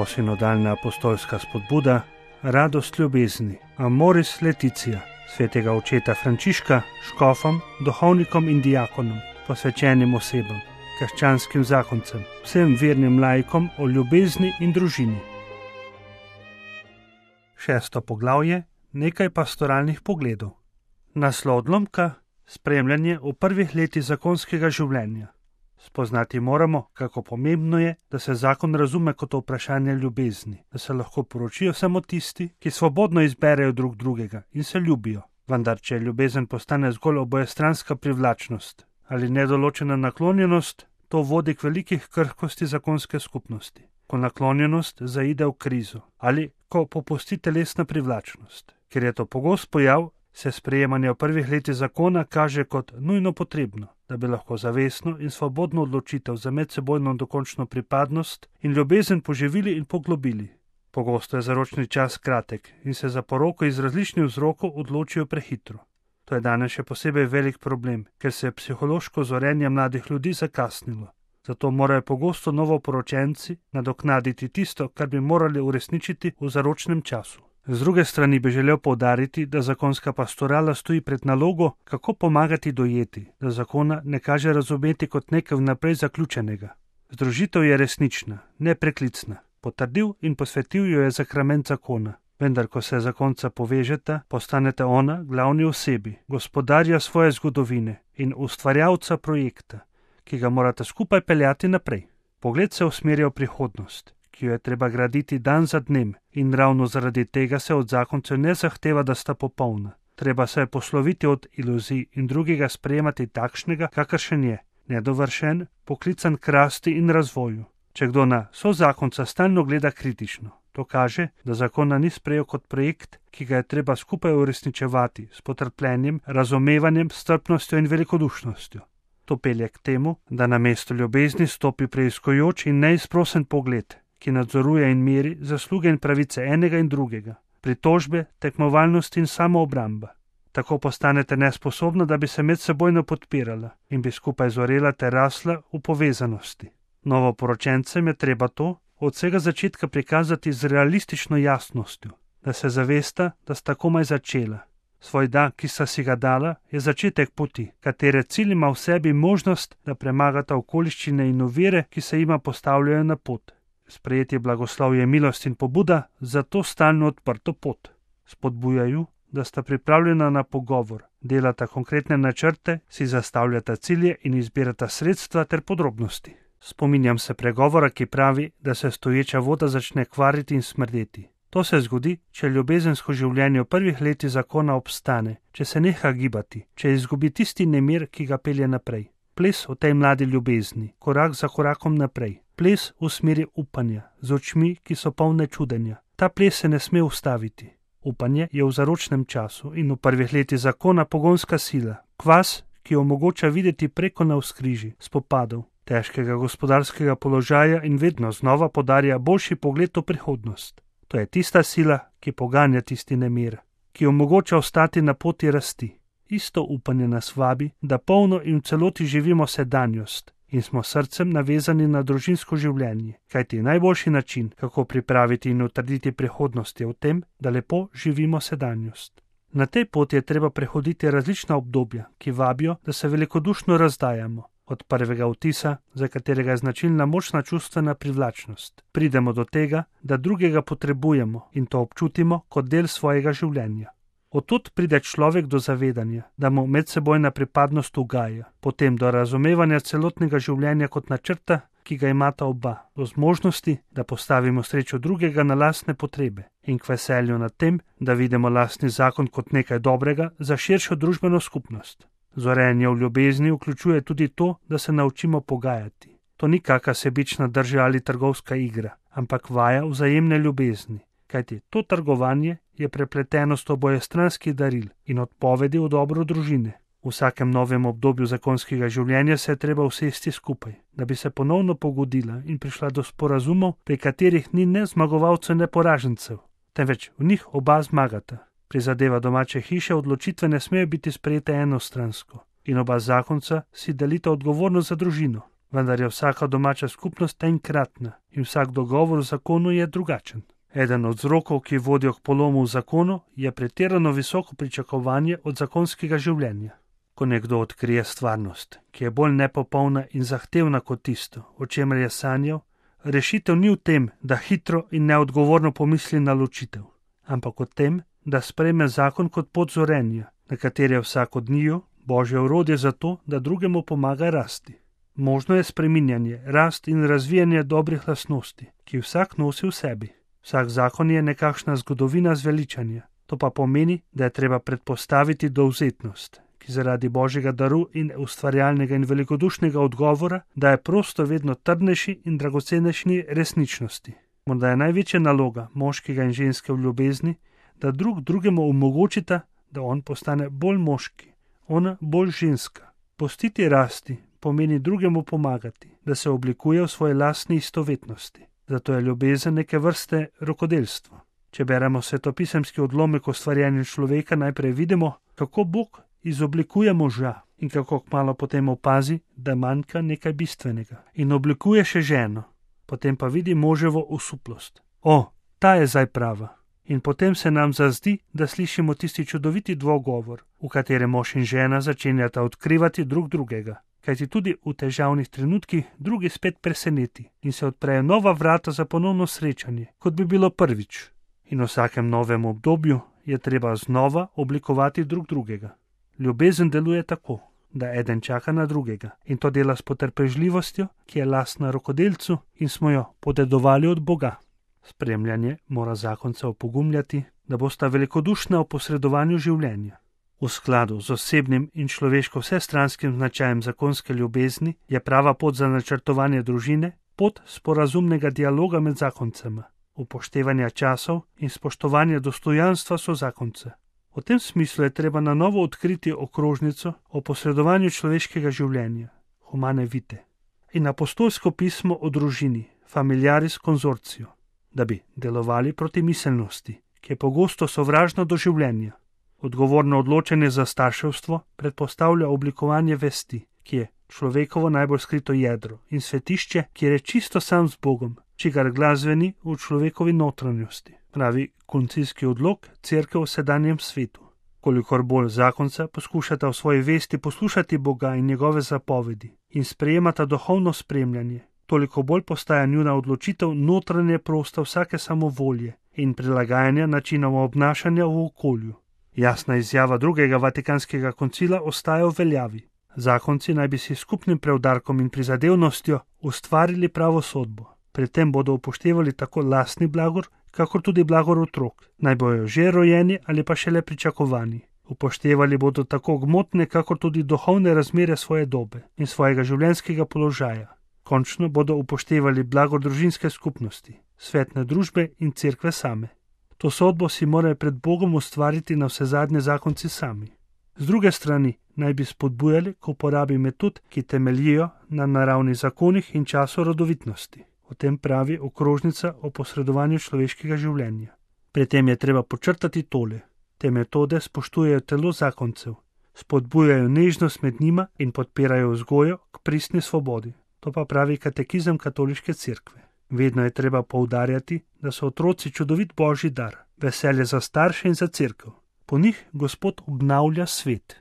Novosinodalna apostolska spodbuda, radost ljubezni, Amoris Laetitia, svetega očeta Frančiška, škofom, duhovnikom in diakonom, posvečenim osebam, krščanskim zakoncem, vsem vernim laikom o ljubezni in družini. 6. poglavje, nekaj pastoralnih pogledov. Naslov odlomka, spremljanje v prvih letih zakonskega življenja. Spoznati moramo, kako pomembno je, da se zakon razume kot vprašanje ljubezni, da se lahko poročijo samo tisti, ki svobodno izberejo drug drugega in se ljubijo. Vendar, če ljubezen postane zgolj obojestranska privlačnost ali nedoločena naklonjenost, to vodi k velikih krhkosti zakonske skupnosti. Ko naklonjenost zaide v krizo ali ko popusti telesna privlačnost. Ker je to pogost pojav, se sprejemanje v prvih letih zakona kaže kot nujno potrebno, da bi lahko zavestno in svobodno odločitev za medsebojno dokončno pripadnost in ljubezen poživili in poglobili. Pogosto je zaročni čas kratek in se za poroko iz različnih vzrokov odločijo prehitro. To je danes še posebej velik problem, ker se je psihološko zorenje mladih ljudi zakasnilo. Zato morajo pogosto novoporočenci nadoknaditi tisto, kar bi morali uresničiti v zaročnem času. Z druge strani bi želel poudariti, da zakonska pastorala stoji pred nalogo, kako pomagati dojeti, da zakona ne kaže razumeti kot nekaj vnaprej zaključenega. Združitev je resnična, nepreklicna. Potrdil in posvetil jo je sakrament zakona. Vendar, ko se zakonca povežeta, postanete ona glavni osebi, gospodarja svoje zgodovine in ustvarjalca projekta, ki ga morate skupaj peljati naprej. Pogled se usmerja v prihodnost, ki jo je treba graditi dan za dnem, in ravno zaradi tega se od zakoncev ne zahteva, da sta popolna. Treba se je posloviti od iluzij in drugega sprejemati takšnega, kakršen je, nedovršen, poklican k rasti in razvoju. Če kdo na sozakonca stalno gleda kritično, to kaže, da zakona ni sprejel kot projekt, ki ga je treba skupaj uresničevati s potrpljenjem, razumevanjem, strpnostjo in velikodušnostjo. To pelje k temu, da na mesto ljubezni stopi preiskujoč in neizprosen pogled, ki nadzoruje in meri zasluge in pravice enega in drugega, pritožbe, tekmovalnost in samoobramba. Tako postanete nesposobna, da bi se medsebojno podpirala in bi skupaj zorela ter rasla v povezanosti. Novoporočencem je treba to od vsega začetka prikazati z realistično jasnostjo, da se zavesta, da sta komaj začela. Svoj da, ki sta si ga dala, je začetek poti, katere cilj ima v sebi možnost, da premagata okoliščine in ovire, ki se jima postavljajo na pot. Sprejeti blagoslovje, milost in pobuda za to stalno odprto pot. Spodbujaju, da sta pripravljena na pogovor, delata konkretne načrte, si zastavljata cilje in izbirata sredstva ter podrobnosti. Spominjam se pregovora, ki pravi, da se stoječa voda začne kvariti in smrdeti. To se zgodi, če ljubezensko življenje v prvih letih zakona obstane, če se neha gibati, če izgubi tisti nemir, ki ga pelje naprej. Ples v tej mladi ljubezni, korak za korakom naprej. Ples v smeri upanja, z očmi, ki so polne čudenja. Ta ples se ne sme ustaviti. Upanje je v zaročnem času in v prvih letih zakona pogonska sila, kvas, ki omogoča videti preko navzkrižij, spopadov, težkega gospodarskega položaja in vedno znova podarja boljši pogled v prihodnost. To je tista sila, ki poganja tisti nemir, ki omogoča ostati na poti rasti. Isto upanje nas vabi, da polno in v celoti živimo sedanjost in smo srcem navezani na družinsko življenje, kajti najboljši način, kako pripraviti in utrditi prihodnost, je v tem, da lepo živimo sedanjost. Na tej poti je treba prehoditi različna obdobja, ki vabijo, da se velikodušno razdajamo. Od prvega vtisa, za katerega je značilna močna čustvena privlačnost, pridemo do tega, da drugega potrebujemo in to občutimo kot del svojega življenja. Odtud pride človek do zavedanja, da mu medsebojna pripadnost ugaja, potem do razumevanja celotnega življenja kot načrta, ki ga imata oba, do zmožnosti, da postavimo srečo drugega na lastne potrebe in k veselju nad tem, da vidimo lastni zakon kot nekaj dobrega za širšo družbeno skupnost. Zorenje v ljubezni vključuje tudi to, da se naučimo pogajati. To ni kakšna sebična drža ali trgovska igra, ampak vaja vzajemne ljubezni, kajti to trgovanje je prepletenost obojestranskih daril in odpovedi v dobro družine. V vsakem novem obdobju zakonskega življenja se je treba usesti skupaj, da bi se ponovno pogodila in prišla do sporazumov, pri katerih ni ne zmagovalcev, ne poražencev, temveč v njih oba zmagata. Pri zadeva domače hiše odločitve ne smejo biti sprejete enostransko in oba zakonca si delita odgovornost za družino. vendar je vsaka domača skupnost enkratna in vsak dogovor v zakonu je drugačen. Eden od vzrokov, ki vodijo k polomu v zakonu, je pretirano visoko pričakovanje od zakonskega življenja. Ko nekdo odkrije stvarnost, ki je bolj nepopolna in zahtevna kot tisto, o čemer je sanjal, rešitev ni v tem, da hitro in neodgovorno pomisli na ločitev, ampak v tem, da sprejme zakon kot pot zorenja, na kateri je vsak od njiju Božje orodje za to, da drugemu pomaga rasti. Možno je spreminjanje, rast in razvijanje dobrih lastnosti, ki vsak nosi v sebi. Vsak zakon je nekakšna zgodovina zveličanja, to pa pomeni, da je treba predpostaviti dovzetnost, ki zaradi Božjega daru in ustvarjalnega in velikodušnega odgovora daje prostor vedno trdnejši in dragocenejši resničnosti. Morda je največja naloga moškega in ženske v ljubezni, da drug drugemu omogočita, da on postane bolj moški, ona bolj ženska. Pustiti rasti pomeni drugemu pomagati, da se oblikuje v svoje lastni istovetnosti. Zato je ljubezen neke vrste rokodelstvo. Če beremo svetopisemski odlomek o stvarjenju človeka, najprej vidimo, kako Bog izoblikuje moža in kako kmalu potem opazi, da manjka nekaj bistvenega in oblikuje še ženo. Potem pa vidi moževo osuplost. O, ta je zdaj prava. In potem se nam zazdi, da slišimo tisti čudoviti dvogovor, v katerem mož in žena začenjata odkrivati drug drugega. Kajti tudi v težavnih trenutkih drugi spet preseneti in se odprejo nova vrata za ponovno srečanje, kot bi bilo prvič. In v vsakem novem obdobju je treba znova oblikovati drug drugega. Ljubezen deluje tako, da eden čaka na drugega in to dela s potrpežljivostjo, ki je lastna rokodelcu in smo jo podedovali od Boga. Spremljanje mora zakonca opogumljati, da bosta velikodušna v posredovanju življenja. V skladu z osebnim in človeško vsestranskim značajem zakonske ljubezni je prava pot za načrtovanje družine pot sporazumnega dialoga med zakoncema, upoštevanja časov in spoštovanja dostojanstva sozakonca. V tem smislu je treba na novo odkriti okrožnico o posredovanju človeškega življenja, Humane Vitae, in apostolsko pismo o družini, Familiaris Consortio, da bi delovali proti miselnosti, ki je pogosto sovražna do življenja. Odgovorno odločanje za starševstvo predpostavlja oblikovanje vesti, ki je človekovo najbolj skrito jedro in svetišče, kjer je čisto sam z Bogom, čigar glas zveni v človekovi notranjosti, pravi koncilski odlok Cerkev v sedanjem svetu. Kolikor bolj zakonca poskušata v svoji vesti poslušati Boga in njegove zapovedi in sprejemata duhovno spremljanje, toliko bolj postaja njuna odločitev notranje prosta vsake samovolje in prilagajanja načinov obnašanja v okolju. Jasna izjava drugega Vatikanskega koncila ostaja v veljavi. Zakonci naj bi si skupnim preudarkom in prizadevnostjo ustvarili pravo sodbo. Pri tem bodo upoštevali tako lastni blagor, kakor tudi blagor otrok, naj bojo že rojeni ali pa šele pričakovani. Upoštevali bodo tako gmotne, kakor tudi duhovne razmere svoje dobe in svojega življenjskega položaja. Končno bodo upoštevali blagor družinske skupnosti, svetne družbe in cerkve same. To sodbo si morajo pred Bogom ustvariti na vse zadnje zakonci sami. Z druge strani naj bi spodbujali k uporabi metod, ki temeljijo na naravnih zakonih in času rodovitnosti. O tem pravi okrožnica o posredovanju človeškega življenja. Pri tem je treba počrtati tole. Te metode spoštujejo telo zakoncev, spodbujajo nežnost med njima in podpirajo vzgojo k pristni svobodi. To pa pravi katekizem katoliške cerkve. Vedno je treba poudarjati, da so otroci čudovit Božji dar, veselje za starše in za cerkev. Po njih Gospod obnavlja svet.